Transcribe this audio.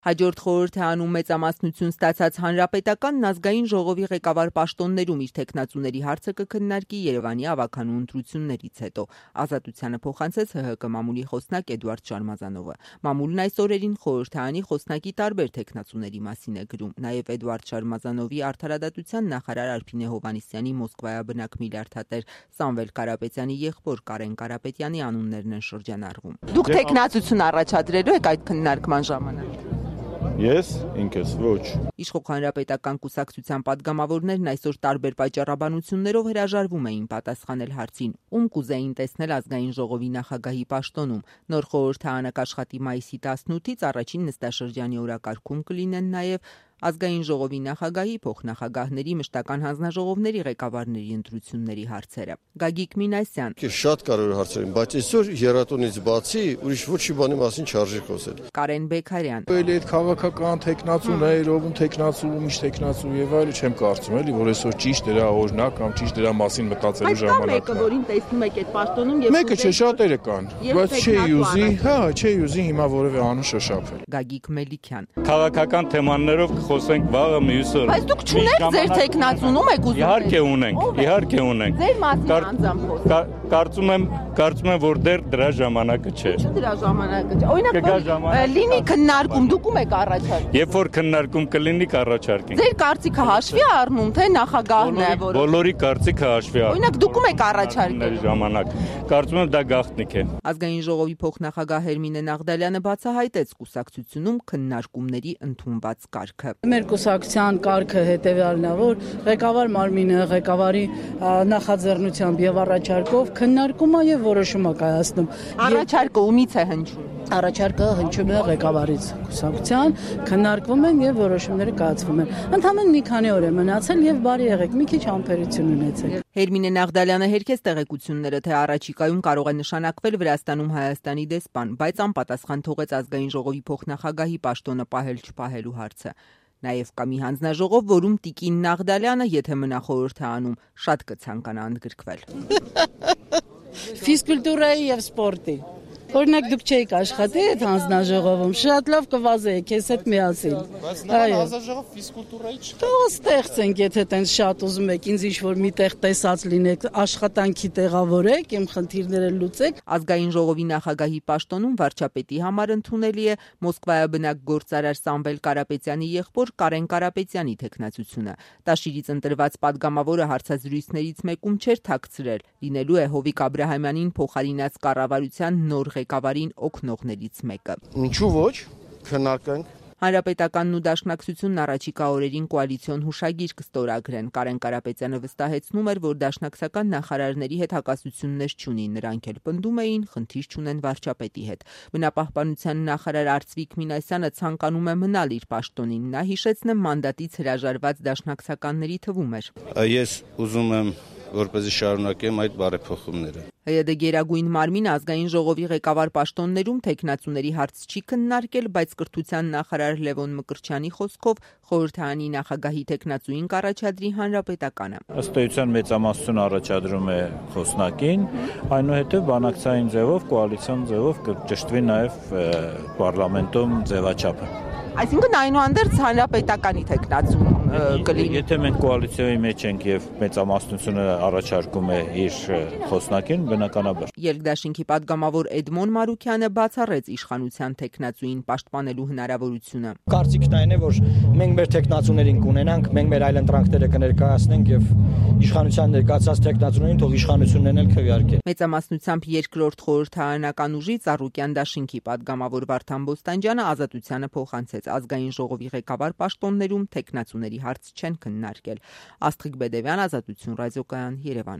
Հաջորդ խորհրդարանում մեծամասնություն ստացած Հանրապետականն ազգային ժողովի ղեկավար պաշտոններում իր թեկնածուների հարցը կքննարկի Երևանի ավագանու ընտրություններից հետո։ Ազատությանը փոխանցեց ՀՀԿ մամուլի խոսնակ Էդուարդ Շարմազանովը։ Մամուլն այս օրերին խորհրդարանի խոսնակի տարբեր թեկնածուների մասին է գրում։ Նաև Էդուարդ Շարմազանովի արդարադատության նախարար Արփինե Հովհաննիսյանի Մոսկվայաբնակ միլիարդատեր Սամվել Կարապետյանի եղբոր Կարեն Կարապետյանի անուններն են շրջանառվում։ Դուք թեկնածություն առաջադրելու եք այդ քննարկման ժամանակ։ Ես ինքս ոչ։ Իշխող հանրապետական կուսակցության падգամավորներն այսօր տարբեր պատճառաբանություններով հրաժարվում էին պատասխանել հարցին, ում կուզեին տեսնել ազգային ժողովի նախագահի պաշտոնում։ Նոր խորհրդարանը կաշխատի մայիսի 18-ից առաջին նստաշրջանի օրակարգում կլինեն նաև ազգային ժողովի նախագահի, փոխնախագահների, մշտական հանձնաժողովների ղեկավարների ընտրությունների հարցերը։ Գագիկ Մինասյան. Շատ կարևոր հարցեր են, բայց այսօր եռատոնից բացի ուրիշ ոչի բանի մասին չարժի խոսել։ Կարեն Բեկարյան. Էլի այդ քաղաքական տեխնացուներ, ով տեխնացու, միշտ տեխնացու եւ այլը չեմ կարծում, էլի, որ այսօր ճիշտ դրա օրինակ կամ ճիշտ դրա մասին մտածելու ժամանակն է։ Մեկը, որին տեսնում եք այդ պաշտոնում եւ մեկը չէ, շատերը կան, բայց չի ուզի հիմա որևէ անուն շոշափել։ Գագիկ Մելիքյան. Քաղաքական թեմաներով խոսենք վաղը մյուսը։ Բայց դուք չունեք ձեր թեկնածունում եք ուզում։ Իհարկե ունենք։ Ձեր մասին անձամբ խոսք։ Կարծում եմ, որ դեռ դրա ժամանակը չէ։ Չէ դրա ժամանակը չէ։ Օրինակ լինի քննարկում, դուք ում եք առաջարկում։ Երբ որ քննարկում կլինի, կառաջարկենք։ Ձեր կարծիքը հաշվի առնում, թե նախագահն է, որ բոլորի կարծիքը հաշվի առնում։ Օրինակ դուք ում եք առաջարկել ժամանակ։ Կարծում եմ դա գաղտնիք է։ Ազգային ժողովի փոխնախագահ Հերմինե Նաղդալյանը բացահայտեց կուսակցությունում քննարկումների ընդունված կարգը։ Մեր կուսակցության կարգը հետևյալն է, որ ղեկավար մարմինը ղեկավարի նախաձեռնությամբ եւ առաջարկով քննարկում է եւ որոշում է կայացնում։ Առաջարկը ումից է հնչում։ Առաջարկը հնչում է ղեկավարից կուսակցության, քննարկվում են եւ որոշումները կայացվում են։ Ընդհանրապես մի քանի օր է մնացել եւ բարի եղեք, մի քիչ համբերություն ունեցեք։ Հերմինե Նաղդալյանը հերքեց տեղեկությունները, թե առաջիկայում կարող է նշանակվել Վրաստանում Հայաստանի դեսպան, բայց անպատասխան թողեց ազգային ժողովի փոխնախագահի պաշտոնը պահել-չպահելու հարցը։ Նաև կա մի հանձնաժողով, որում Տիկին Նաղդալյանը, եթե մնա խորհրդարանում, շատ կցանկանա ընդգրկվել։ Ֆիզկուլտուրայի եւ սպորտի։ Օրինակ դուք չեք աշխատի այդ հանձնաժողովում, շատ լավ կվազեիք քեզ հետ միասին։ Բայց նա հանձնաժողով ֆիզկուլտուրայի չի։ Թող ստեղծենք, եթե տենց շատ ուզում եք, ինձ ինչ-որ միտեղ տեսած լինեք, աշխատանքի տեղավորեք, իմ խնդիրները լուծեք։ Ազգային ժողովի նախագահի պաշտոնում վարչապետի համար ընդունելի է Մոսկվայաբնակ գործարար Սամվել Կարապետյանի եղբոր Կարեն Կարապետյանի թեկնածությունը։ Տաշիրից ընտրված падգամավորը հարցազրույցներից մեկում չէր թաքցրել, լինելու է Հովիկ Աբրահամյանին փոխարինած կառավարության նոր ղեկավարին օգնողներից մեկը։ Ինչու ոչ, քննարկենք։ Հանրապետականն ու Դաշնակցությունն առաջիկա օրերին կոալիցիոն հուշագիր կստորագրեն։ Կարեն Կարապետյանը վստահեցնում էր, որ դաշնակցական նախարարների հետ հակասություններ չունի, նրանք էլ պնդում էին, խնդիր չունեն վարչապետի հետ։ Բնապահպանության նախարար Արծվիկ Մինասյանը ցանկանում է մնալ իր պաշտոնին։ Նա հիշեցնեմ մանդատից հրաժարված դաշնակցականների թվում էր։ Ես ուզում եմ որպեսզի շարունակեմ այդ բարեփոխումները։ ՀՅԴ Գերագույն մարմինը ազգային ժողովի ղեկավար պաշտոններում թեկնածուների հարց չի քննարկել, բայց կրթության նախարար Լևոն Մկրտչյանի խոսքով խորհրդարանի նախագահի թեկնածուին կառաջադրի Հանրապետականը։ Ըստ էության մեծամասնություն առաջադրում է խոսնակին, այնուհետև բանակցային ձևով, կոալիցիոն ձևով կճշտվի նաև պարլամենտում ձևաչափը։ Այսինքն այնուհանդերձ Հանրապետականի թեկնածուն կլինի։ Եթե մենք կոալիցիայի մեջ ենք եւ մեծամասնությունը առաջարկում է իր խոսնակին, բնականաբար։ Երկդաշինքի падգամավոր Էդմոն Մարուքյանը բացառեց իշխանության թեկնածուին պաշտպանելու հնարավորությունը։ Կարծիքն այն է, որ մենք մեր թեկնածուներին կունենանք, մենք մեր այլընտրանքները կներկայացնենք եւ իշխանության ներկայացած թեկնածուներին թող իշխանություններն էլ քվեարկեն։ Մեծամասնությամբ երկրորդ խորհրդարանական ուժի Ծառուկյան դաշինքի падգամավոր Վարդան Բոստանջյանը Ազատությանը փոխանցեց ազգային ժողովի ղեկավար պաշտոններում թեկնածուների հարց չեն քննարկել։ Աստղիկ Բեդևյան, Ազատություն ռադիոկայան, Երևան։